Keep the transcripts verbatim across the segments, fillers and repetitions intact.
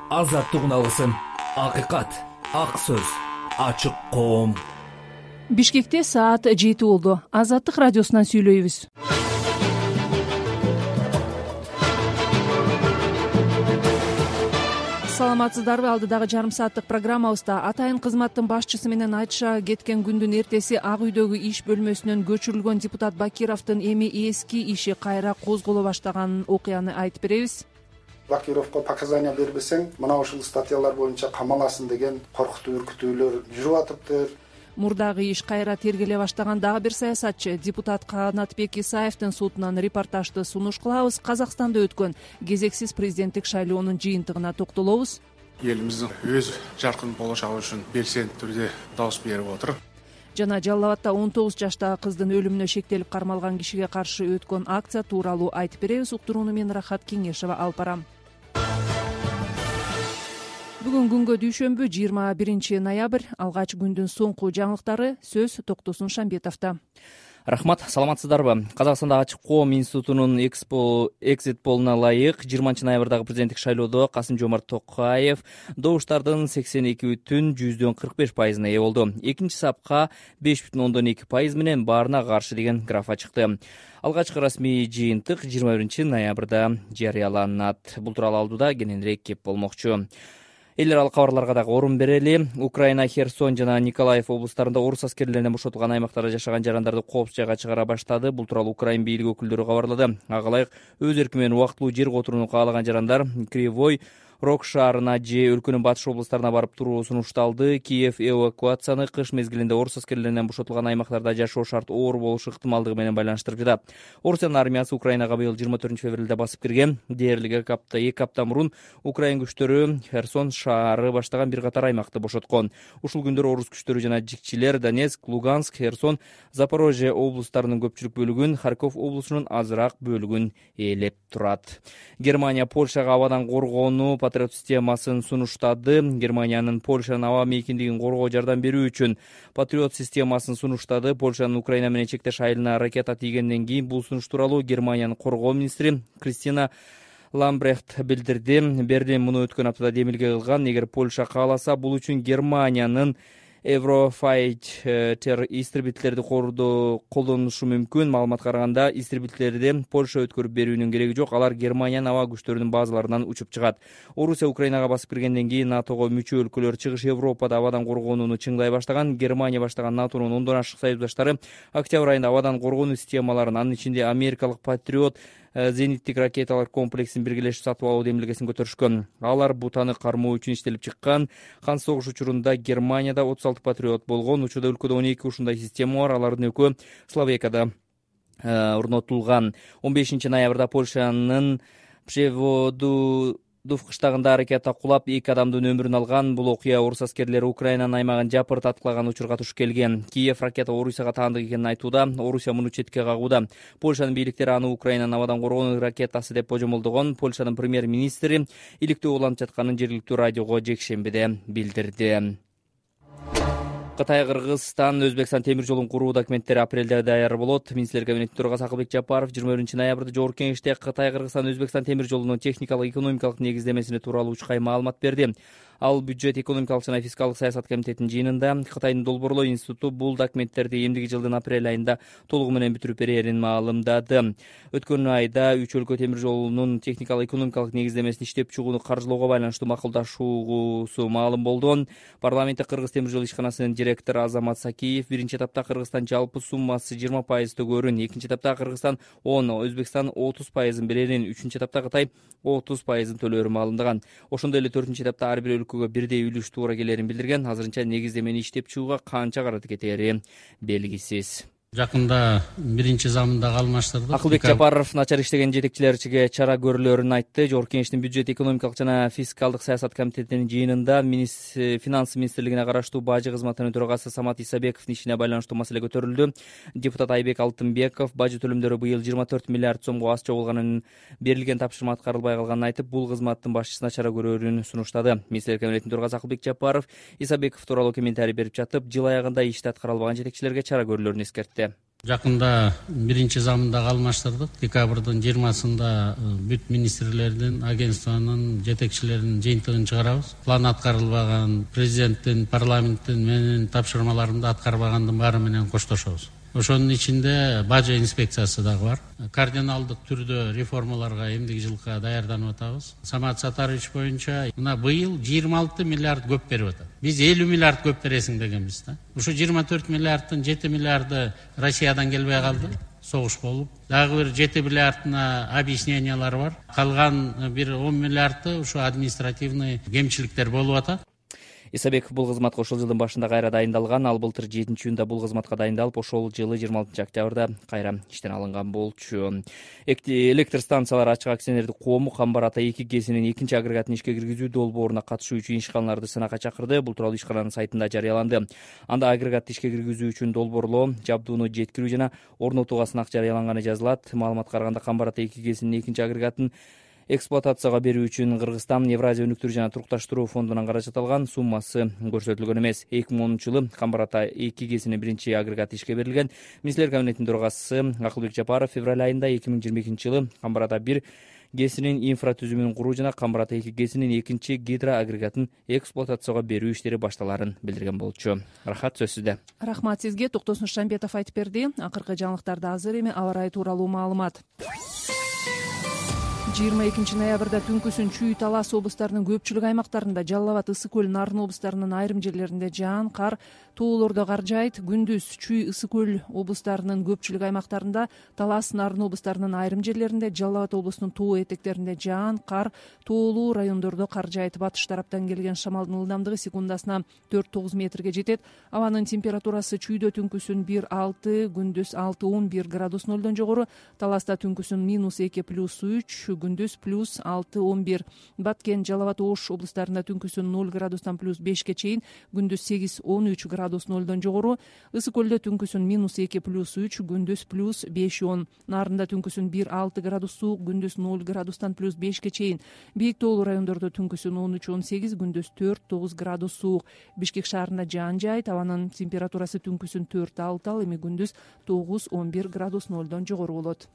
азаттыгын алсын. Акыйкат, ак сөз, ачык коом. Бишкекте саат жети болду. Азаттык радиосунан сүйлөйбүз. Саламатсыздарбы? Алдыдагы жарым сааттык программабызда атайын кызматтын башчысы менен айтыша кеткен күндүн эртеси Ак үйдөгү иш бөлмөсүнөн көчүрүлгөн депутат Бакировдун эми эски иши кайра козголо баштаган окуяны айтып беребиз. Бакировго показания бербесең, мына ушул статьялар боюнча камаласың деген коркутуу үркүтүүлөр жүрүп атыптыр. Мурдагы иш кайра тергеле баштаган дагы бир саясатчы депутат Канатбек Исаевдин сотунан репортажды сунуш кылабыз. Казакстанда өткөн кезексиз президенттик шайлоонун жыйынтыгына токтолобуз. Элибиздин өз жаркын болочогу үчүн белсенди түрдө добус берип отур. Жана Жалал абадта он тогуз жаштагы кыздын өлүмүнө шектелип кармалган кишиге каршы өткөн акция тууралуу айтып беребиз. Уктурууну мен Рахат Кеңешова алып барам. Бүгүн күнгө дүйшөмбү жыйырма биринчи ноябрь. Алгач күндүн соңку жаңылыктары. Сөз Токтосун Шамбетовдо. Рахмат, саламатсыздарбы? Казакстанда ачык коом институтунун экзит полуна ылайык жыйырманчы ноябрдагы президенттик шайлоодо Касым-Жомарт Токаев добуштардын сексен эки бүтүн жүздөн кырк беш пайызына ээ болду. Экинчи сапка беш бүтүн ондон эки пайыз менен баарына каршы деген графа чыкты. Алгачкы расмий жыйынтык жыйырма биринчи ноябрда жарыяланат. Бул тууралуу алдыда кененирээк кеп болмокчу. Эл аралык кабарларга дагы орун берели. Украина Херсон жана Николаев облустарында орус аскерлеринен бошотулган аймактарда жашаган жарандарды коопсуз жайга чыгара баштады. Бул тууралуу Украин бийлиги өкүлдөрү кабарлады. Ага ылайык өз эрки менен убактылуу жер которууну каалаган жарандар Кривой Рог шаарына же өлкөнүн батыш облустарына барып туруу сунушталды. Киев эвакуацияны кыш мезгилинде орус аскерлеринен бошотулган аймактарда жашоо шарт оор болушу ыктымалдыгы менен байланыштырып жатат. Орусиянын армиясы Украинага быйыл жыйырма төртүнчү февралда басып кирген. Дээрлик эки апта эки апта мурун Украин күчтөрү Херсон шаары баштаган бир катар аймакты бошоткон. Ушул күндөр орус күчтөрү жана жикчилер Донецк, Луганск, Херсон, Запорожье облустарынын көпчүлүк бөлүгүн, Харьков облусунун азыраак бөлүгүн ээлеп турат. Германия Польшага абадан коргоону Патриот системасын сунуштады. Германиянын Польшанын аба мейкиндигин коргоо жардам берүү үчүн Патриот системасын сунуштады. Польшанын Украина менен чектеш айылына ракета тийгенден кийин бул сунуш тууралуу Германиянын коргоо министри Кристина Ламбрехт билдирди. Берлин муну өткөн аптада демилге кылган. Эгер Польша кааласа, бул үчүн Германиянын Еврофайтер истребительдерди колдонушу мүмкүн. Маалыматка караганда, истребительдерди Польша өткөрүп берүүнүн кереги жок. Алар Германиянын аба күчтөрүнүн базаларынан учуп чыгат. Орусия Украинага басып киргенден кийин НАТОго мүчө өлкөлөр чыгыш Европада абадан коргонууну чыңдай баштаган. Германия баштаган НАТОнун ондон ашык союздаштары октябрь айында абадан коргонуу системаларын, анын ичинде америкалык Патриот зениттик ракеталар комплексин биргелешип сатып алуу демилгесин көтөрүшкөн. Алар бутаны кармоо үчүн иштелип чыккан. Кан согуш учурунда Германияда отуз алты Патриот болгон. Учурда өлкөдө он эки ушундай система бар. Алардын экөө Словакияда орнотулган. он бешинчи ноябрда Польшанын Пшеводу Дуф кыштагында ракета кулап эки адамдын өмүрүн алган. Бул окуя орус аскерлери Украинанын аймагын жапырт аткылаган учурга туш келген. Киев ракета Орусияга таандык экенин айтууда. Орусия муну четке кагууда. Польшанын бийликтери аны Украинанын абадан коргонуу ракетасы деп божомолдогон. Польшанын премьер-министри иликтөө уланып жатканын жергиликтүү радиого жекшембиде билдирди. Кытай, Кыргызстан, Өзбекстан темир жолун куруу документтери апрелде даяр болот. Министрлер кабинетинин төрагасы Акылбек Жапаров жыйырма биринчи ноябрда жогорку кеңеште Кытай, Кыргызстан, Өзбекстан темир жолунун техникалык, экономикалык негиздемесине тууралуу учкай маалымат берди. Ал бюджет, экономикалык жана фискалдык саясат комитетинин жыйынында Кытайдын Долбоорлоо институту бул документтерди эмдиги жылдын апрель айында толугу менен бүтүрүп берерин маалымдады. Өткөн айда үч өлкө темир жолунун техникалык, экономикалык негиздемесин иштеп чыгууну каржылоого байланыштуу макулдашуусу маалым болду. Парламентте Кыргыз темир жол ишканасынын директору Азамат Сакиев биринчи этапта Кыргызстан жалпы суммасы жыйырма пайыз төгөрүн, экинчи этапта Кыргызстан он, Өзбекстан отуз пайызын берерин, үчүнчү этапта Кытай отуз пайызын төлөөрүн маалымдаган. Ошондой эле төртүнчү этапта ар бир өлкөгө бирдей үлүш туура келерин билдирген. Азырынча негиздемени иштеп чыгууга канча карат кетери белгисиз. Жакында биринчи замындагы алмаштырды. Акылбек Жапаров начар иштеген жетекчилерчиге чара көрүлөрүн айтты. Жогорку кеңештин бюджет, экономикалык жана фискалдык саясат комитетинин жыйынында финанс министрлигине караштуу бажы кызматынын төрагасы Самат Исабековдун ишине байланыштуу маселе көтөрүлдү. Депутат Айбек Алтынбеков бажы төлөмдөрү быйыл жыйырма төрт миллиард сомго аз чогулганын, берилген тапшырма аткарылбай калганын айтып, бул кызматтын башчысына чара көрүүнү сунуштады. Министрлер кабинетинин төрагасы Акылбек Жапаров Исабеков тууралуу комментарий берип жатып, жыл аягында ишти аткара албаган жетекчилерге чара көрүүлөрүн эскертти. Жакында биринчи замындагы алмаштырдык. Декабрдын жыйырмасында бүт министрлердин, агентствонун жетекчилеринин жыйынтыгын чыгарабыз. План аткарылбаган, президенттин, парламенттин менин тапшырмаларымды аткарбагандын баары менен коштошобуз. Ошонун ичинде бажа инспекциясы дагы бар. Кардиналдык түрдө реформаларга эмдиги жылга даярданып атабыз. Самат Сатарович боюнча мына быйыл жыйырма алты миллиард көп берип атат. Биз элүү миллиард көп бересиң дегенбиз да. Ушу жыйырма төрт миллиарддын жети миллиарды Россиядан келбей калды. Согуш болуп, дагы бир жети миллиардына объяснениялар бар. Калган бир он миллиарды ушу административный кемчиликтер болуп атат. Исабеков бул кызматка ошол жылдын башында кайра дайындалган. Ал былтыр жетинчи июнда бул кызматка дайындалып, ошол жылы жыйырма алтынчы октябрда кайра иштен алынган болчу. Электр станциялар ачык акционердик коому Камбар Ата эки ГЭСинин экинчи агрегатын ишке киргизүү долбооруна катышуу үчүн ишканаларды сынакка чакырды. Бул тууралуу ишкананын сайтында жарыяланды. Анда агрегатты ишке киргизүү үчүн долбоорлоо, жабдууну жеткирүү жана орнотууга сынак жарыяланганы жазылат. Маалыматка караганда Камбар Ата эки ГЭСинин экинчи агрегатын эксплуатацияга берүү үчүн Кыргызстан Евразия өнүктүрүү жана турукташтыруу фондунан каражат алган. Суммасы көрсөтүлгөн эмес. эки миң онунчу жылы Камбар Ата эки ГЭСинин биринчи агрегаты ишке берилген. Министрлер кабинетинин төрагасы Акылбек Жапаров февраль айында эки миң жыйырма экинчи жылы Камбар Ата бир ГЭСинин инфратүзүмүн куруу жана Камбар Ата эки ГЭСинин экинчи гидроагрегатын эксплуатацияга берүү иштери башталарын билдирген болчу. Рахат, сөз сизде. Рахмат сизге. Токтосун Шамбетов айтып берди. Акыркы жаңылыктарда азыр эми аба ырайы тууралуу маалымат. жыйырма экинчи ноябрда түнкүсүн Чүй, Талас облустарынын көпчүлүк аймактарында, Жалал Абад, Ысык көл, Нарын облустарынын айрым жерлеринде жаан, кар, тоолордо кар жаайт. Күндүз Чүй, Ысык көл облустарынын көпчүлүк аймактарында, Талас, Нарын облустарынын айрым жерлеринде, Жалал Абад облусунун тоо этектеринде жаан, кар, тоолуу райондордо кар жаайт. Батыш тараптан келген шамалдын ылдамдыгы секундасына төрт тогуз метрге жетет. Абанын температурасы Чүйдө түнкүсүн бир алты, күндүз алты он бир градус нолдон жогору, Таласта түнкүсүн минус эки плюс үч, күндүз плюс алты он бир. Баткен, Жалал Абад, Ош облустарында түнкүсүн ноль градустан плюс бешке чейин, күндүз сегиз он үч градус нолдон жогору. Ысык көлдө түнкүсүн минус эки плюс үч, күндүз плюс беш он. Нарында түнкүсүн бир алты градус суук, күндүз ноль градустан плюс бешке чейин. Бийик тоолуу райондордо түнкүсүн он үч он сегиз, күндүз төрт тогуз градус суук. Бишкек шаарында жаан жаайт. Абанын температурасы түнкүсүн төрт алты, ал эми күндүз тогуз он бир градус нолдон жогору болот.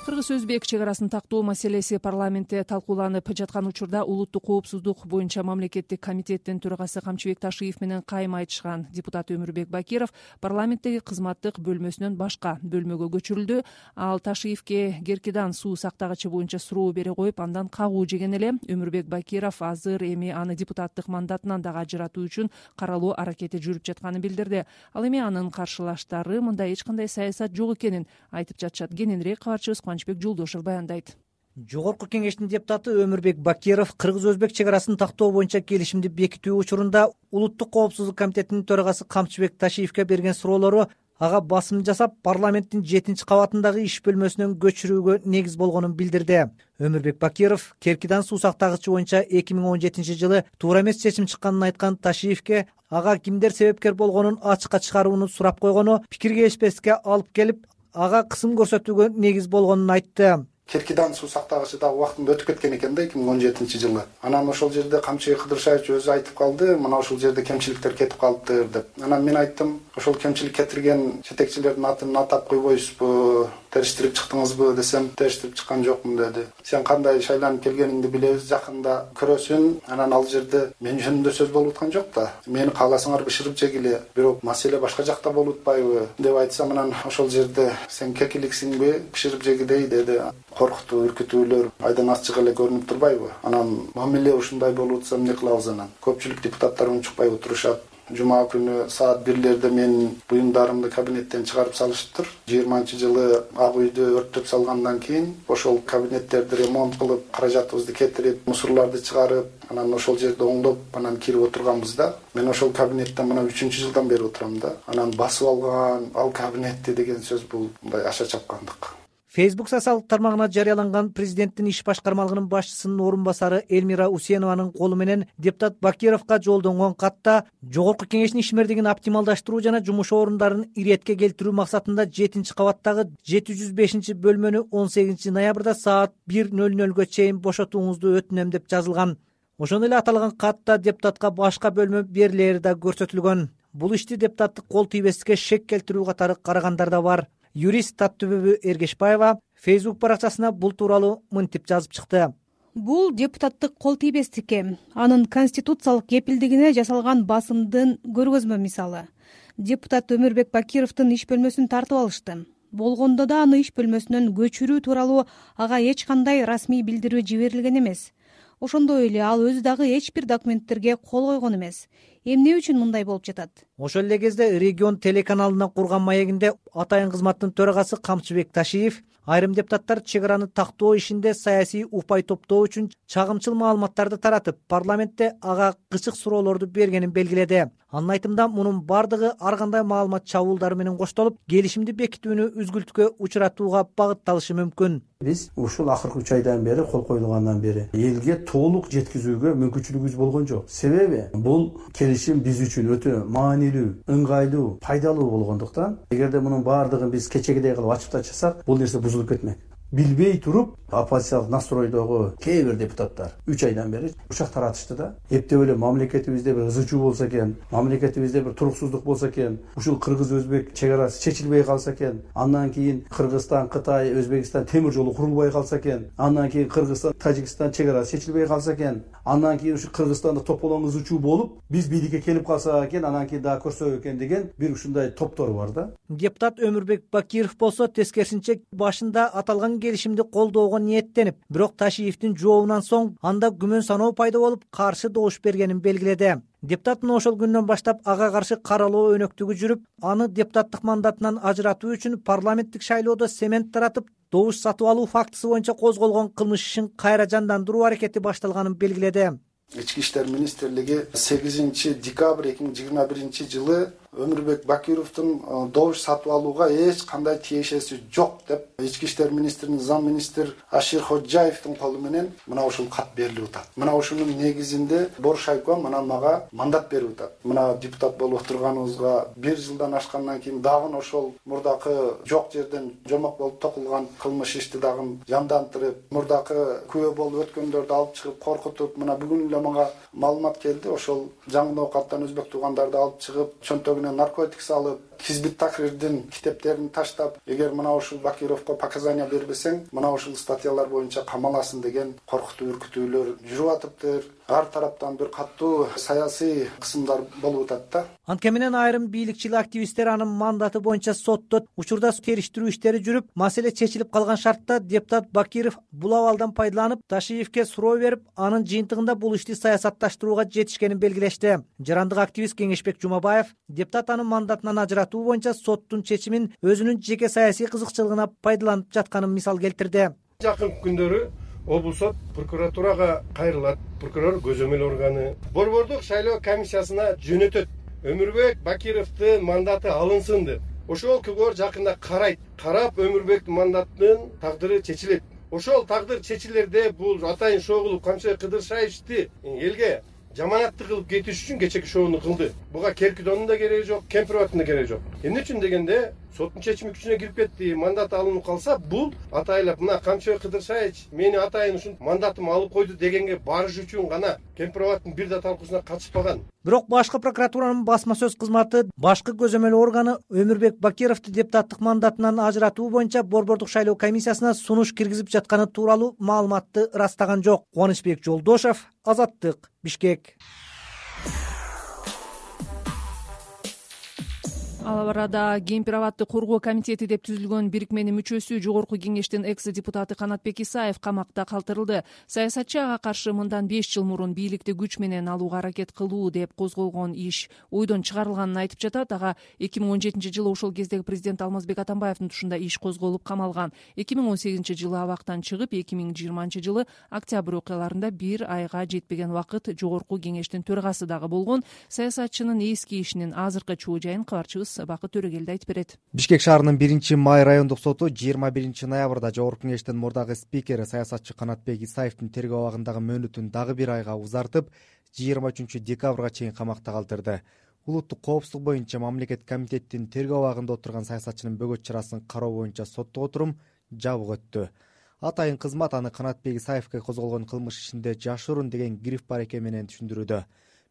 Кыргыз-Өзбек чек арасын тактоо маселеси парламентте талкууланып жаткан учурда улуттук коопсуздук боюнча мамлекеттик комитеттин төрагасы Камчыбек Ташиев менен кайым айтышкан. Депутат Өмүрбек Бакиров парламенттеги кызматтык бөлмөсүнөн башка бөлмөгө көчүрүлдү. Ал Ташиевке Керкидан суу сактагычы боюнча суроо бере коюп, андан кагуу жеген эле. Өмүрбек Бакиров азыр эми аны депутаттык мандатынан дагы ажыратуу үчүн каралуу аракети жүрүп жатканын билдирди. Ал эми анын каршылаштары мында эч кандай саясат жок экенин айтып жатышат. Кененирээк кабарчыбыз Кубанычбек Жолдошев баяндайт. Жогорку кеңештин депутаты Өмүрбек Бакиров Кыргыз-Өзбек чек арасын тактоо боюнча келишимди бекитүү учурунда улуттук коопсуздук комитетинин төрагасы Камчыбек Ташиевке берген суроолору ага басым жасап, парламенттин жетинчи кабатындагы иш бөлмөсүнөн көчүрүүгө негиз болгонун билдирди. Өмүрбек Бакиров Керкидан суу сактагычы боюнча эки миң он жетинчи жылы туура эмес чечим чыкканын айткан Ташиевке ага кимдер себепкер болгонун ачыкка чыгарууну сурап койгону пикир келишпестикке алып келип, ага кысым көрсөтүүгө негиз болгонун айтты. Керкидан суу сактагычы дагы убактында өтүп кеткен экен да эки миң он жетинчи жылы. Анан ошол жерде Камчыбек Кыдыршаевич өзү айтып калды, мына ошол жерде кемчиликтер кетип калыптыр деп. Анан мен айттым, ошол кемчилик кетирген жетекчилердин атын атап койбойсузбу, териштирип чыктыңызбы десем, териштирип чыккан жокмун деди. Сен кандай шайланып келгениңди билебиз, жакында көрөсүн. Анан ал жерде мен жөнүндө сөз болуп аткан жок да. Мени кааласаңар бышырып жегиле, бирок маселе башка жакта болуп атпайбы деп айтсам, анан ошол жерде сен кекиликсиңби, бышырып жегидей деди. Коркутуу, үркүтүүлөр айдан ачык эле көрүнүп турбайбы? Анан мамиле ушундай болуп атса эмне кылабыз анан? Көпчүлүк депутаттар унчукпай отурушат. Жума күнү саат бирлерде менин буюмдарымды кабинеттен чыгарып салышыптыр. жыйырманчы жылы Ак үйдү өрттөп салгандан кийин ошол кабинеттерди ремонт кылып, каражатыбызды кетирип, мусорларды чыгарып, анан ошол жерде оңдоп, анан кирип отурганбыз да. Мен ошол кабинетте мына үчүнчү жылдан бери отурам да. Анан басып алган, ал кабинетти деген сөз бул мындай аша чапкандык. Facebook социалдык тармагына жарыяланган президенттин иш башкармалыгынын башчысынын орун басары Эльмира Усенованын колу менен депутат Бакировго жолдонгон катта жогорку кеңештин ишмердигин оптималдаштыруу жана жумуш орундарын иретке келтирүү максатында жетинчи кабаттагы жети жүз бешинчи бөлмөнү он сегизинчи ноябрда саат бир ноль нольго чейин бошотууңузду өтүнөм деп жазылган. Ошондой эле аталган катта депутатка башка бөлмө берилери да көрсөтүлгөн. бул ишти депутаттык кол тийбестикке шек келтирүү катары карагандар да бар. Юрист Таттүбү Эргешбаева Facebook баракчасына бул тууралуу мынтип жазып чыкты. Бул депутаттык кол тийбестикке, анын конституциялык кепилдигине жасалган басымдын көргөзмө мисалы. Депутат Өмүрбек Бакировдун иш бөлмөсүн тартып алышты. Болгондо да аны иш бөлмөсүнөн көчүрүү тууралуу ага эч кандай расмий билдирүү жиберилген эмес. Ошондой эле ал өзү дагы эч бир документтерге кол койгон эмес. Эмне үчүн мындай болуп жатат? Ошол эле кезде Регион телеканалына курган маегинде Атайын кызматтын төрагасы Камчыбек Ташиев айрым депутаттар чек араны тактоо ишинде саясий упай топтоо үчүн чагымчыл маалыматтарды таратып, парламентте ага кычык суроолорду бергенин белгиледи. Анын айтымында мунун бардыгы ар кандай маалымат чабуулдары менен коштолуп, келишимди бекитүүнү үзгүлтүккө учуратууга багытталышы мүмкүн. Биз ушул акыркы үч айдан бери кол коюлгандан бери элге толук жеткизүүгө мүмкүнчүлүгүбүз болгон жок. Себеби бул келишим биз үчүн өтө маанилүү, ыңгайлуу, пайдалуу болгондуктан, эгерде мунун бардыгын биз кечегидей кылып ачып тачасак, бул нерсе бузулуп кетмек. Билбей туруп, оппозициялык настройдогу кээ бир депутаттар үч айдан бери учак таратышты да. Эптеп эле мамлекетибизде бир ызы чуу болсо экен, мамлекетибизде бир туруксуздук болсо экен, ушул кыргыз-өзбек чек арасы чечилбей калса экен, андан кийин Кыргызстан, Кытай, Өзбекстан темир жолу курулбай калса экен, андан кийин Кыргызстан, Тажикстан чек арасы чечилбей калса экен, андан кийин ушу Кыргызстанда тополоң ызы чуу болуп, биз бийликке келип калсак экен, анан кийин дагы көрсөк экен деген бир ушундай топтор бар да. Депутат Өмүрбек Бакиров болсо тескерисинче башында аталган келишимди колдоого ниеттенип, бирок Ташиевдин жообунан соң анда күмөн саноо пайда болуп, каршы добуш бергенин белгиледи. Депутат мына ошол күндөн баштап ага каршы каралоо өнөктүгү жүрүп, аны депутаттык мандатынан ажыратуу үчүн парламенттик шайлоодо семент таратып, добуш сатып алуу фактысы боюнча козголгон кылмыш ишин кайра жандандыруу аракети башталганын белгиледи. Ички иштер министрлиги сегизинчи декабрь эки миң жыйырма биринчи жылы Өмүрбек Бакировдун добуш сатып алууга эч кандай тиешеси жок деп ички иштер министринин зам министр Ашир Ходжаевдин колу менен мына ушул кат берилип атат. Мына ушунун негизинде Боршайко мына мага мандат берип атат. Мына депутат болуп отурганыбызга бир жылдан ашкандан кийин дагы ошол мурдакы жок жерден жомок болуп токулган кылмыш ишти дагы жандандырып, мурдакы күбө болуп өткөндөрдү алып чыгып коркутуп, мына бүгүн эле мага маалымат келди. Ошол жаңы оокаттан өзбек туугандарды алып чыгып, чөнтөгүнө наркотик салып, Хизбит Тахрирдин китептерин таштап, эгер мына ушул Бакировго показания бербесең, мына ушул статьялар боюнча камаласың деген коркутуу үркүтүүлөр жүрүп атыптыр. Ар тараптан бир катуу саясий кысымдар болуп атат да. Анткени менен айрым бийликчил активисттер анын мандаты боюнча сотто учурда териштирүү иштери жүрүп, маселе чечилип калган шартта депутат Бакиров бул абалдан пайдаланып, Ташиевке суроо берип, анын жыйынтыгында бул ишти саясатташтырууга жетишкенин белгилешти. Жарандык активист Кеңешбек Жумабаев депутат анын мандатынан ажыратуу боюнча соттун чечимин өзүнүн жеке саясий кызыкчылыгына пайдаланып жатканын мисал келтирди. Жакын күндөрү облус сот прокуратурага кайрылат. Прокурор көзөмөл органы борбордук шайлоо комиссиясына жөнөтөт. Өмүрбек Бакировдун мандаты алынсын деп. Ошол көбөр жакында карайт. Карап Өмүрбектин мандатынын тагдыры чечилет. Ошол тагдыр чечилерде бул Атайын Шогулов, Камчыбек Кыдыршаевди элге жаманатты кылып кетиш үчүн кечеки шоону кылды. Буга Керкидонун да кереги жок, Кемпироваттын да кереги жок. Эмне үчүн дегенде соттун чечими күчүнө кирип кетти, мандат алынып калса, бул атайлап мына Камчыбек Кыдыршаевич мени Атайын ушун мандатымды алып койду дегенге барыш үчүн гана Кемпироваттын бир да талкуусуна катышпаган. Бирок башкы прокуратуранын басма сөз кызматы башкы көзөмөл органы Өмүрбек Бакировду депутаттык мандатынан ажыратуу боюнча борбордук шайлоо комиссиясына сунуш киргизип жатканы тууралуу маалыматты ырастаган жок. Кубанычбек Жолдошев, Азаттык, Бишкек. Ал арада Кемпир абадды коргоо комитети деп түзүлгөн бирикменин мүчөсү жогорку кеңештин экс депутаты Канатбек Исаев камакта калтырылды. Саясатчы ага каршы мындан беш жыл мурун бийликти күч менен алууга аракет кылуу деп козголгон иш ойдон чыгарылганын айтып жатат. Ага эки миң он жетинчи жылы ошол кездеги президент Алмазбек Атамбаевдин тушунда иш козголуп камалган. эки миң он сегизинчи жылы абактан чыгып, эки миң жыйырманчы жылы октябрь окуяларында бир айга жетпеген убакыт жогорку кеңештин төрагасы дагы болгон. Саясатчынын эски ишинин азыркы чуу жайын кабарчыбыз Бакыт Төрөгелди айтып берет. Бишкек шаарынын биринчи май райондук соту жыйырма биринчи ноябрда жогорку кеңештин мурдагы спикери саясатчы Канатбек Исаевдин тергөө абагындагы мөөнөтүн дагы бир айга узартып, жыйырма үчүнчү декабрга чейин камакта калтырды. Улуттук коопсуздук боюнча мамлекет комитеттин тергөө абагында отурган саясатчынын бөгөт чарасын кароо боюнча соттук отурум жабык өттү. Атайын кызмат аны Канатбек Исаевге козголгон кылмыш ишинде жашыруун деген гриф бар экен менен түшүндүрүүдө.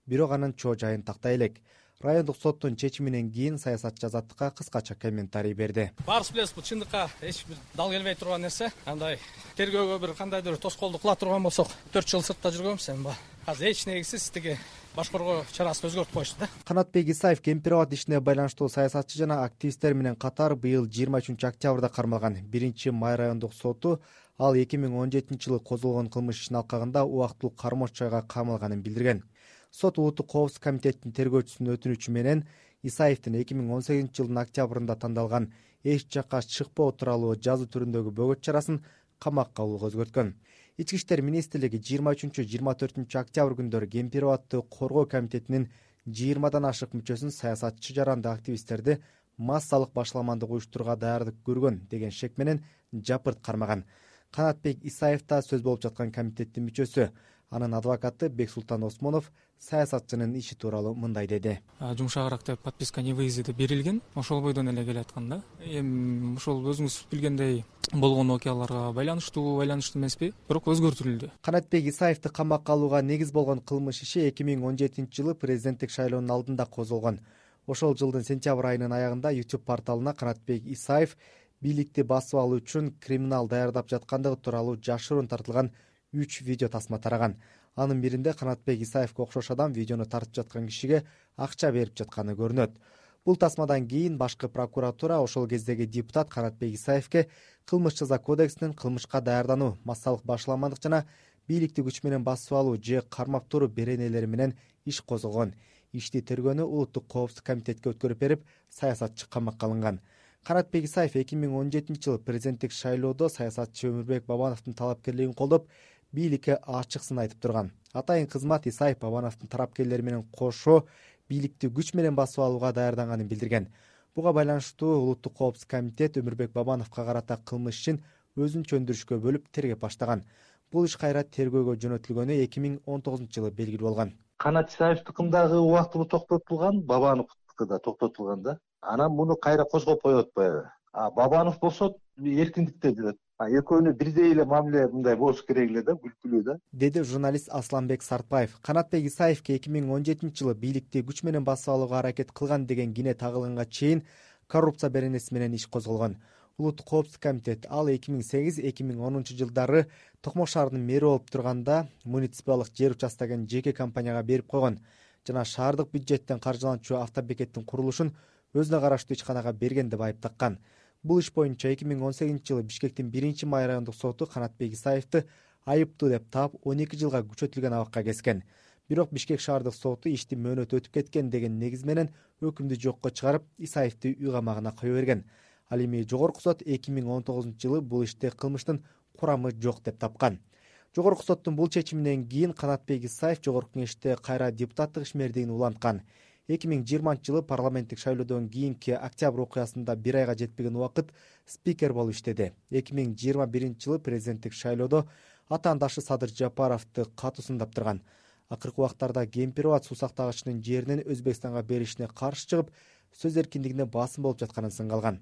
Бирок анын чоо жайын тактай элек. райондук соттун чечиминен кийин саясатчы азаттыкка кыскача комментарий берди. Баарыбыз билебиз, бул чындыкка эч бир дал келбей турган нерсе. Андай тергөөгө бир кандайдыр тоскоолдук кыла турган болсок, төрт жыл сыртта жүргөнбүз, эми азыр эч негизсиз тиги баш коргоо чарасын өзгөртүп коюшту да. Канатбек Исаев Кемпир-Абад ишине байланыштуу саясатчы жана активисттер менен катар быйыл жыйырма үчүнчү октябрда кармалган. Биринчи май райондук соту ал эки миң он жетинчи жылы козголгон кылмыш ишин алкагында убактылуу кармоочу жайга камалганын билдирген. Сот улуттук коопсуздук комитетинин тергөөчүсүнүн өтүнүчү менен Исаевдин эки миң он сегизинчи жылдын октябрында тандалган эч жакка чыкпоо тууралуу жазуу түрүндөгү бөгөт чарасын камакка алууга өзгөрткөн. Ички иштер министрлиги жыйырма үчүнчү жыйырма төртүнчү октябрь күндөрү Кемпир-Абадты коргоо комитетинин жыйырмадан ашык мүчөсүн саясатчы жаранды активисттерди массалык башаламандык уюштурууга даярдык көргөн деген шек менен жапырт кармаган. Канатбек Исаев да сөз болуп жаткан комитеттин мүчөсү. Анын адвокаты Бексултан Осмонов саясатчынын иши тууралуу мындай деди. Жумшагыраак деп подписка не выезда берилген, ошол бойдон эле келаткан да. Эми ошол өзүңүз билгендей болгон окуяларга байланыштуу, байланыштуу эмеспи, бирок өзгөртүлдү. Канатбек Исаевди камакка алууга негиз болгон кылмыш иши эки миң он жетинчи жылы президенттик шайлоонун алдында козголгон. Ошол жылдын сентябрь айынын аягында YouTube порталына Канатбек Исаев бийликти басып алуу үчүн криминал даярдап жаткандыгы тууралуу жашыруун тартылган үч видео тасма тараган. Анын биринде Канатбек Исаевге окшош адам видеону тартып жаткан кишиге акча берип жатканы көрүнөт. Бул тасмадан кийин башкы прокуратура ошол кездеги депутат Канатбек Исаевге кылмыш жаза кодексинин кылмышка даярдануу, массалык башаламандык жана бийликти күч менен басып алуу же кармап туруу беренелери менен иш козгогон. Ишти тергөөнү улуттук коопсуздук комитетке өткөрүп берип, саясатчы камакка алынган. Канатбек Исаев эки миң он жетинчи жылы президенттик шайлоодо саясатчы Өмүрбек Бабановдун талапкерлигин колдоп, бийликке ачык сын айтып турган. Атайын кызмат Исаев Бабановдун тарапкерлери менен кошо бийликти күч менен басып алууга даярданганын билдирген. Буга байланыштуу улуттук коопсуздук комитет Өмүрбек Бабановго карата кылмыш ишин өзүнчө өндүрүшкө бөлүп тергеп баштаган. Бул иш кайра тергөөгө жөнөтүлгөнү эки миң он тогузунчу жылы белгилүү болгон. Канат Исаевдикиндагы убактылуу токтотулган, Бабановдуки да токтотулган да. Анан муну кайра козгоп коет баягы. А Бабанов болсо эркиндикте жүрөт. Экөөнү бирдей эле мамиле мындай болуш керек эле да, күлкүлүү да. Деди журналист Асланбек Сартбаев. Канатбек Исаевге эки миң он жетинчи жылы бийликти күч менен басып алууга аракет кылган деген кине тагылганга чейин коррупция беренеси менен иш козголгон. Улуттук коопсуздук комитет ал эки миң сегиз эки миң онунчу жылдары Токмок шаарынын мэри болуп турганда муниципалдык жер участогун жеке компанияга берип койгон жана шаардык бюджеттен каржыланчу автобекеттин курулушун өзүнө караштуу ичканага берген деп айып таккан. Бул иш боюнча эки миң он сегизинчи жылы Бишкектин биринчи май райондук соту Канатбек Исаевди айыптуу деп таап он эки жылга күчөтүлгөн абакка кескен. Бирок Бишкек шаардык соту ишти мөөнөтү өтүп кеткен деген негиз менен өкүмдү жокко чыгарып, Исаевди үй камагына кое берген. Ал эми жогорку сот эки миң он тогузунчу жылы бул иште кылмыштын курамы жок деп тапкан. Жогорку соттун бул чечиминен кийин Канатбек Исаев жогорку кеңеште кайра депутаттык ишмердигин уланткан. эки миң жыйырманчы жылы парламенттик шайлоодон кийинки октябрь окуясында бир айга жетпеген убакыт спикер болуп иштеди. эки миң жыйырма биринчи жылы президенттик шайлоодо атаандашы Садыр Жапаровду катуу сындап турган. Акыркы убактарда Кемпир-Абад суу сактагычынын жеринин Өзбекстанга беришине каршы чыгып, сөз эркиндигине басым болуп жатканын сынга алган.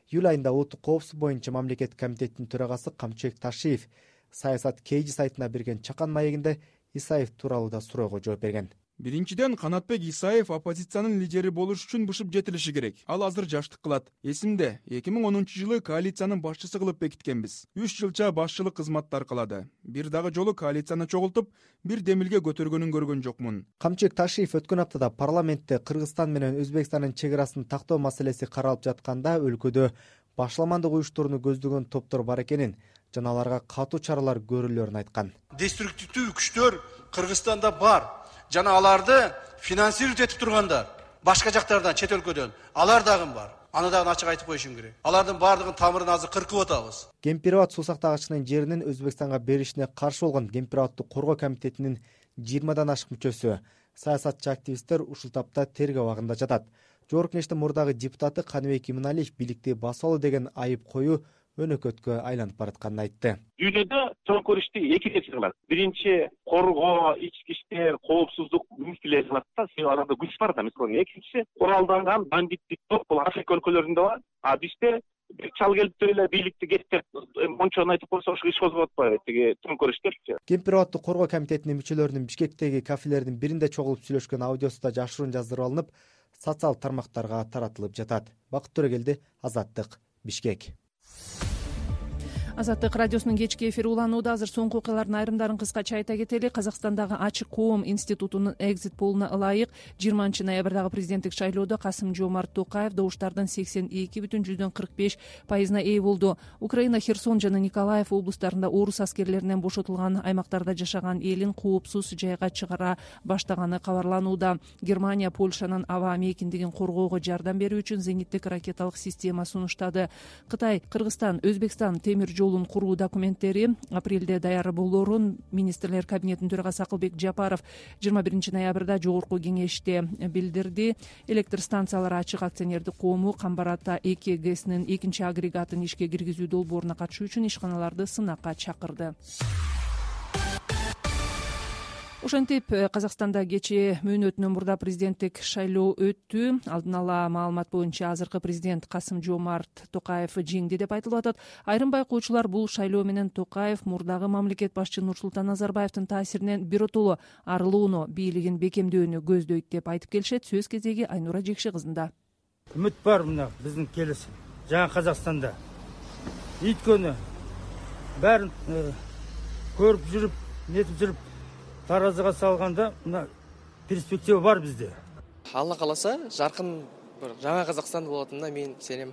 Июль айында улуттук коопсуздук боюнча мамлекеттик комитеттин төрагасы Камчыбек Ташиев Саясат Кейжи сайтына берген чакан маегинде Исаев тууралуу да суроого жооп берген. Биринчиден, Канатбек Исаев оппозициянын лидери болуш үчүн бышып жетилиши керек. Ал азыр жаштык кылат. Эсимде, эки миң онунчу жылы коалициянын башчысы кылып бекиткенбиз. үч жылча башчылык кызматтар кылады. Бир дагы жолу коалицияны чогултуп, бир демилге көтөргөнүн көргөн жокмун. Камчыбек Ташиев өткөн аптада парламентте Кыргызстан менен Өзбекстандын чек арасын тактоо маселеси каралып жатканда өлкөдө башаламандык уюштурууну көздөгөн топтор бар экенин жана аларга катуу чаралар көрүлөрүн айткан. Деструктивдүү күчтөр Кыргызстанда бар. Жана аларды финансировать этип тургандар башка жактардан, чет өлкөдөн алар дагы бар. Аны дагы ачык айтып коюшум керек. Алардын баардыгын тамырын азыр кыркып атабыз. Кемпир-Абад суу сактагычынын жеринин Өзбекстанга беришине каршы болгон Кемпир-Абадты коргоо комитетинин жыйырмадан ашык мүчөсү, саясатчы активисттер ушул тапта тергөө абагында жатат. Жогорку кеңештин мурдагы депутаты Каныбек Иманалиев бийликти басып алуу деген айып коюу өнөкөткө айланып баратканын айтты. Дүйнөдө чоңкур ишти эки киши кылат. Биринчи коргоо, ички иштер, коопсуздук министрлери кылат да, себеби аларда күч бар да. Мисалы, экинчиси куралданган бандиттик топ бул Африка өлкөлөрүндө бар. А бизде бир чал келип эле бийликти кеттеп, мончону айтып койсо ошо иш козгоп атпайбы, тиги чоңкур иштерчи. Кемпир-Абадты коргоо комитетинин мүчөлөрүнүн Бишкектеги кафелердин биринде чогулуп сүйлөшкөн аудиосу да жашыруун жаздырып алынып, социалдык тармактарга таратылып жатат. Бакыт Төрөгелди, Азаттык, Бишкек. Азаттык радиосунун кечки эфири уланууда. Азыр соңку окуялардын айрымдарын кыскача айта кетели. Казакстандагы Ачык коом институтунун экзит полуна ылайык жыйырманчы ноябрдагы президенттик шайлоодо Касым-Жомарт Токаев добуштардын сексен эки бүтүн жүздөн кырк беш пайызына ээ болду. Украина Херсон жана Николаев облустарында орус аскерлеринен бошотулган аймактарда жашаган элин коопсуз жайга чыгара баштаганы кабарланууда. Германия Польшанын аба мейкиндигин коргоого жардам берүү үчүн зениттик ракеталык система сунуштады. Кытай, Кыргызстан, Өзбекстан темир жолун куруу документтери апрелде даяр болоорун министрлер кабинетинин төрагасы Акылбек Жапаров жыйырма биринчи ноябрда жогорку кеңеште билдирди. Электр станциялары ачык акционердик коому Камбар-Ата эки ГЭСнин экинчи агрегатын ишке киргизүү долбооруна катышуу үчүн ишканаларды сынакка чакырды. Ошентип, Казакстанда кечээ мөөнөтүнөн мурда президенттик шайлоо өттү. Алдын ала маалымат боюнча азыркы президент Касым-Жомарт Токаев жеңди деп айтылып атат. Айрым байкоочулар бул шайлоо менен Токаев мурдагы мамлекет башчы Нурсултан Назарбаевдин таасиринен биротоло арылууну, бийлигин бекемдөөнү көздөйт деп айтып келишет. Сөз кезеги Айнура Жекши кызында. Үмүт бар мына биздин келесі жаңа Казакстанда. Өйткөнү бәрін көрүп жүрүп, нетип жүрүп таразыга салганда мына перспектива бар бизде. Алла кааласа, жаркын бир жаңа Казакстан болотунуна мен сенем.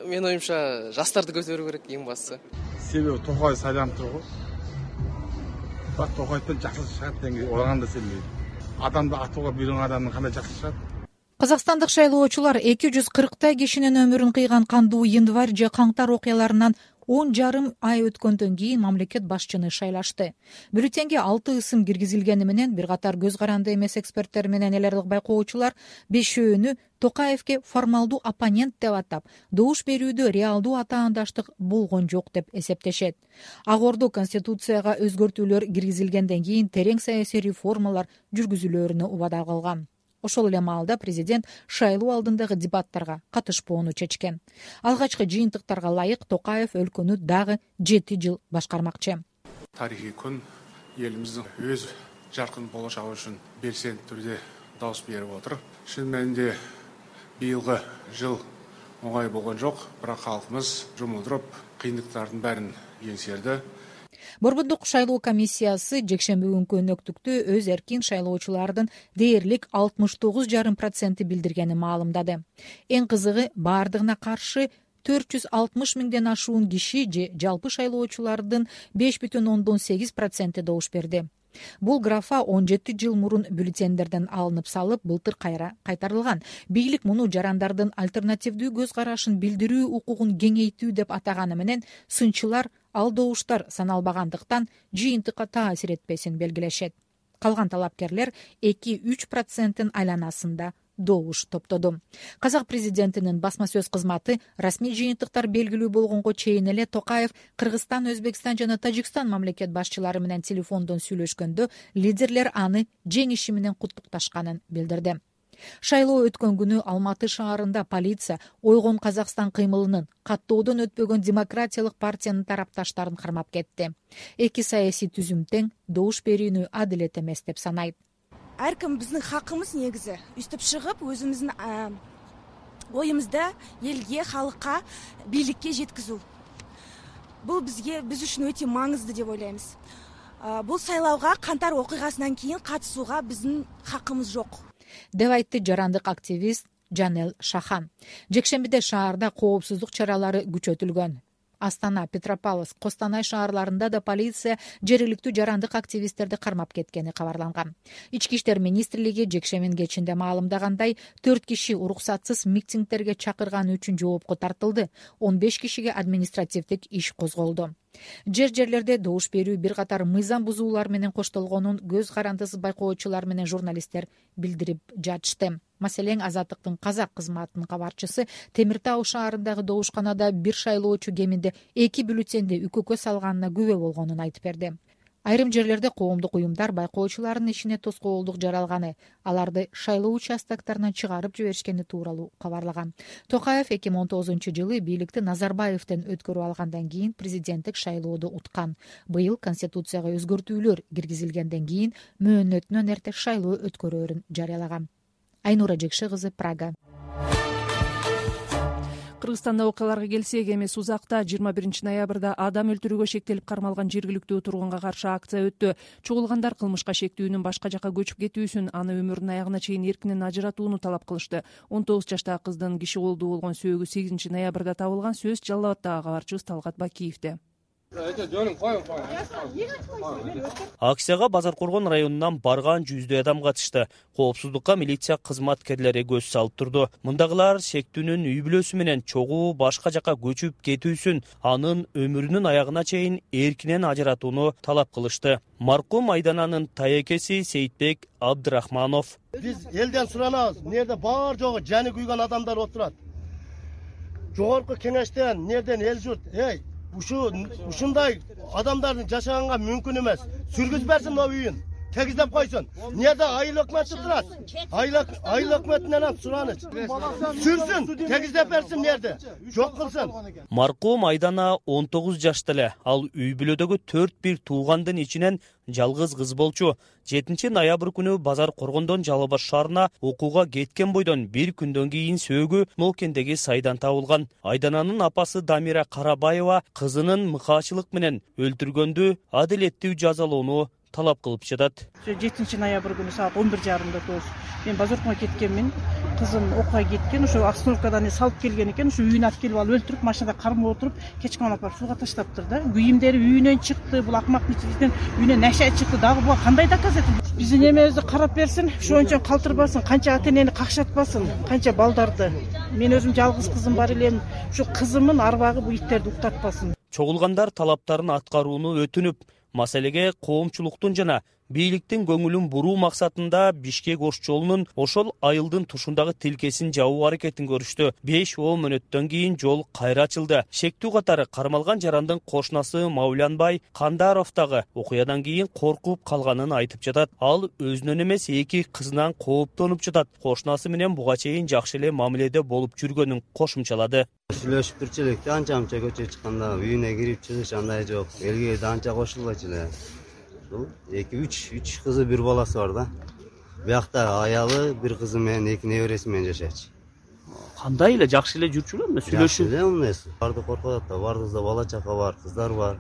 Менин оюмча жаштарды көтөрүү керек эң башкысы. Себеби Токаев сайланып тургу. Бак Токаевден жакшы чыгат деген ояганда сенбейм. Адамды атууга бирин адамдын кандай жакшы чыгат? Казакстандык шайлоочулар эки жүз кырктай кишинин өмүрүн кыйган кандуу январь же каңтар окуяларынан он жарым ай өткөндөн кийин мамлекет башчыны шайлашты. Бюллетенге алты ысым киргизилгени менен бир катар көз каранды эмес эксперттер менен эл аралык байкоочулар бешөөнү Токаевке формалдуу оппонент деп атап, добуш берүүдө реалдуу атаандаштык болгон жок деп эсептешет. Ак Ордо Конституцияга өзгөртүүлөр киргизилгенден кийин терең саясий реформалар жүргүзүлөрүнө убада кылган. Ошол эле маалда президент шайлоо алдындагы дебаттарга катышпоону чечкен. Алгачкы жыйынтыктарга ылайык Токаев өлкөнү дагы жети жыл башкармакчы. Тарихий күн элибиздин өз жаркын болочогу үчүн белсенди түрдө добуш берип отур. Чын мәнинде быйылгы жыл оңай болгон жок, бирок халкыбыз жумулдуруп кыйынчылыктардын бәрин еңсерди. Борбордук шайлоо комиссиясы жекшемби күнкү өнөктүктө өз эркин шайлоочулардын дээрлик алтымыш тогуз жарым проценти билдиргени маалымдады. Эң кызыгы, баардыгына каршы төрт жүз алтымыш миңден ашуун киши же жалпы шайлоочулардын беш бүтүн ондон сегиз проценти добуш берди. Бул графа он жети жыл мурун бюллетендерден алынып салып, былтыр кайра кайтарылган. Бийлик муну жарандардын альтернативдүү көз карашын билдирүү укугун кеңейтүү деп атаганы менен сынчылар ал добуштар саналбагандыктан жыйынтыкка таасир этпесин белгилешет. Калган талапкерлер эки үч проценттин айланасында добуш топтоду. Казак президентинин басма сөз кызматы расмий жыйынтыктар белгилүү болгонго чейин эле Токаев Кыргызстан, Өзбекстан жана Тажикстан мамлекет башчылары менен телефондон сүйлөшкөндө лидерлер аны жеңиши менен куттукташканын билдирди. Шайлоо өткөн күнү Алматы шаарында полиция Ойгон Казакстан кыймылынын каттоодон өтпөгөн демократиялык партиянын тарапташтарын кармап кетти. Эки саясий түзүм тең добуш берүүнү адилет эмес деп санайт. Ар ким биздин хакыбыз негизи үстүп чыгып өзүбүздүн оюмузду элге, халыкка, бийликке жеткизүү. Бул бизге биз үчүн өтө маңызды деп ойлойбуз. Бул сайлоого кантар окуйгасынан кийин катышууга биздин хакыбыз жок деп айтты жарандык активист Жанел Шахан. Жекшембиде шаарда коопсуздук чаралары күчөтүлгөн. Астана, Петропавловск, Костанай шаарларында да полиция жергиликтүү жарандык активисттерди кармап кеткени кабарланган. Ички иштер министрлиги жекшембинин кечинде маалымдагандай, төрт киши уруксатсыз митингдерге чакырганы үчүн жоопко тартылды. он беш кишиге административдик иш козголду. Жер-жерлерде добуш берүү бир катар мыйзам бузуулар менен коштолгонун көз карандысыз байкоочулар менен журналисттер билдирип жатышты. Маселен, Азаттыктын казак кызматынын кабарчысы Темир Тау шаарындагы добушканада бир шайлоочу кеминде эки бюллетенди үкөккө салганына күбө болгонун айтып берди. Айрым жерлерде коомдук уюмдар байкоочулардын ишине тоскоолдук жаралганы, аларды шайлоо участоктарынан чыгарып жиберишкени тууралуу кабарлаган. Токаев эки миң он тогузунчу жылы бийликти Назарбаевден өткөрүп алгандан кийин президенттик шайлоодо уткан. Быйыл Конституцияга өзгөртүүлөр киргизилгенден кийин мөөнөтүнөн эрте шайлоо өткөрөөрүн жарыялаган. Айнура Жекше кызы, Прага. Кыргызстанда окуяларга келсек, эмес узакта жыйырма биринчи ноябрда адам өлтүрүүгө шектелип кармалган жергиликтүү тургунга каршы акция өттү. Чогулгандар кылмышка шектүүнүн башка жака көчүп кетүүсүн, аны өмүрүнүн аягына чейин эркинен ажыратууну талап кылышты. он тогуз жаштагы кыздын киши колдуу болгон сөөгү сегизинчи ноябрда табылган. Сөз Жалал Абаддагы кабарчыбыз Талгат Бакиевде. Акцияга Базар Коргон районунан барган жүздөй адам катышты. Коопсуздукка милиция кызматкерлери көз салып турду. Мындагылар шектүүнүн үй бүлөсү менен чогуу башка жака көчүп кетүүсүн, анын өмүрүнүн аягына чейин эркинен ажыратууну талап кылышты. Маркум Айдананын таекеси Сейитбек Абдырахманов: Биз элден суранабыз, нерде бар жогу жаны күйгөн адамдар отурат. Жогорку кеңештен, нерден эл журт, эй, Ушу ушундай адамдардын жашаганга мүмкүн эмес. Сүргүз берсин о үйүн. Тегиздеп койсун. Неде айыл өкмөтү турат? Айыл айыл өкмөтүнөн сураныч. Сүрсүн, тегиздеп берсин нерде? Жок кылсын. Маркум Айдана он тогуз жашта эле. Ал үй бүлөдөгү төрт бир туугандын ичинен жалгыз кыз болчу. жетинчи ноябрь күнү Базар Коргондон Жалал Абад шаарына окууга кеткен бойдон бир күндөн кийин сөөгү Нолкендеги сайдан табылган. Айдананын апасы Дамира Карабаева кызынын мыкаачылык менен өлтүргөндү адилеттүү жазалоону талап кылып жатат. жетинчи ноябрь күнү саат он бир жарымда көз. Мен базарга кеткенмин. Кызым окууга кеткен, ошо остановкадан салып келген экен, ошо үйүнө алып келип алып өлтүрүп, машинада кармап отуруп, кечке алып барып сууга таштаптыр да. Кийимдери үйүнөн чыкты, бул акмактын ичинен үйүнөн нашай чыкты. Дагы буга кандай доказать? Биздин эмебизди карап берсин, ошончо калтырбасын, канча ата-энени какшатпасын, канча балдарды. Мен өзүм жалгыз кызым бар элем. Ушу кызымдын арбагы бул иттерди уктатпасын. Чогулгандар талаптарын аткарууну өтүнүп, маселеге коомчулуктун жана бийликтин көңүлүн буруу максатында Бишкек Ош жолунун ошол айылдын тушундагы тилкесин жабуу аракетин көрүштү. беш он мүнөттөн кийин жол кайра ачылды. Шектүү катары кармалган жарандын кошунасы Маулянбай Кандаров дагы окуядан кийин коркуп калганын айтып жатат. Ал өзүнөн эмес эки кызынан кооптонуп жатат. Кошунасы менен буга чейин жакшы эле мамиледе болуп жүргөнүн кошумчалады. Сүйлөшүп турчу элек, анча амча көчө чыкканда үйүнө кирип чыгыш андай жок. Элге да анча кошулбайчу эле. эки үч үч кызы бир баласы бар да. Биякта аялы бир кызы менен эки небереси менен жашайчу. Кандай эле жакшы эле жүрчүлөрмү? Сүйлөшүп эле эмнеси? Барды коркот да, бардыгызда бала чака бар, кыздар бар.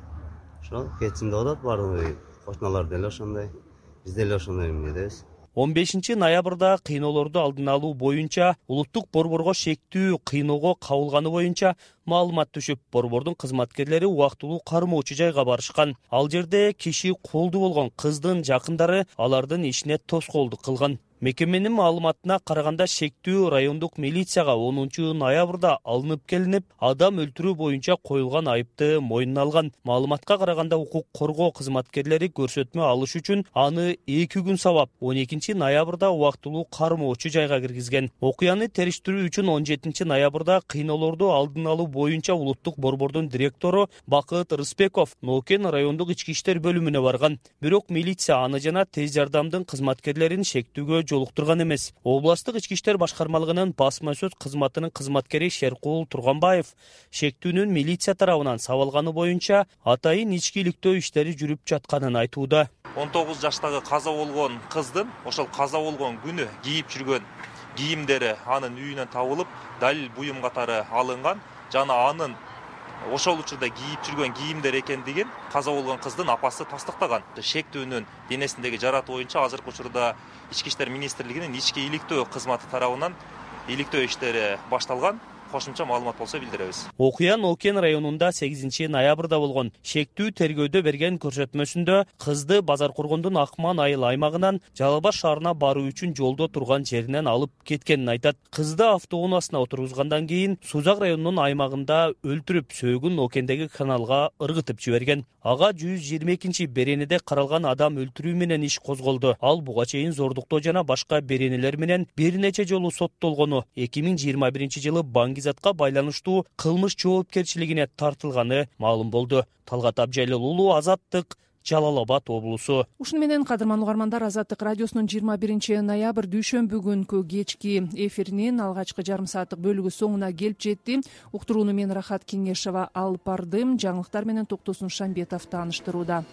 Ошо кетсин деп атат бардыгы. Кошуналар деле ошондой. Биз деле ошондой эмнедебиз. он бешинчи ноябрда кыйноолорду алдын алуу боюнча улуттук борборго шектүү кыйноого кабылганы боюнча маалымат түшүп, борбордун кызматкерлери убактылуу кармоочу жайга барышкан. Ал жерде киши колдуу болгон кыздын жакындары алардын ишине тоскоолдук кылган. Мекеменин маалыматына караганда шектүү райондук милицияга онунчу ноябрда алынып келинип, адам өлтүрүү боюнча коюлган айыпты мойнуна алган. Маалыматка караганда укук коргоо кызматкерлери көрсөтмө алыш үчүн аны эки күн сабап, он экинчи ноябрда убактылуу кармоочу жайга киргизген. Окуяны териштирүү үчүн он жетинчи ноябрда кыйноолорду алдын алуу боюнча улуттук борбордун директору Бакыт Рыспеков Нолкен райондук ички иштер бөлүмүнө барган. Бирок милиция аны жана тез жардамдын кызматкерлерин шектүүгө жолуктурган эмес. Областык ички иштер башкармалыгынын басма сөз кызматынын кызматкери Шеркул Турганбаев шектүүнүн милиция тарабынан сабалганы боюнча атайын ичкиликтөө иштери жүрүп жатканын айтууда. он тогуз жаштагы каза болгон кыздын ошол каза болгон күнү кийип жүргөн кийимдери анын үйүнөн табылып, далил буюм катары алынган жана анын ошол учурда кийип жүргөн кийимдер экендигин каза болгон кыздын апасы тастыктаган. Шектүүнүн денесиндеги жараты боюнча азыркы учурда Ички иштер министрлигинин ички иликтөө кызматы тарабынан иликтөө иштери башталган. Кошумча маалымат болсо билдиребиз. Окуя Нолкен районунда сегизинчи ноябрда болгон. Шектүү тергөөдө берген көрсөтмөсүндө кызды Базар Коргондун Акман айыл аймагынан Жалал Абад шаарына баруу үчүн жолдо турган жеринен алып кеткенин айтат. Кызды автоунаасына отургузгандан кийин Сузак районунун аймагында өлтүрүп, сөөгүн Нолкендеги каналга ыргытып жиберген. Ага жүз жыйырма экинчи беренеде каралган адам өлтүрүү менен иш козголду. Ал буга чейин зордуктоо жана башка беренелер менен бир нече жолу соттолгону, эки миң жыйырма биринчи жылы баңгизатка байланыштуу кылмыш жоопкерчилигине тартылганы маалым болду. Талгат Абжайлыл уулу, Азаттык, Жалал Абад облусу. Ушуну менен кадырман угармандар, Азаттык радиосунун жыйырма биринчи ноябрь дүйшөмбү күнкү кечки эфиринин алгачкы жарым сааттык бөлүгү соңуна келип жетти. Уктурууну мен Рахат Кеңешова алып бардым. Жаңылыктар менен Токтосун Шамбетов тааныштырууда.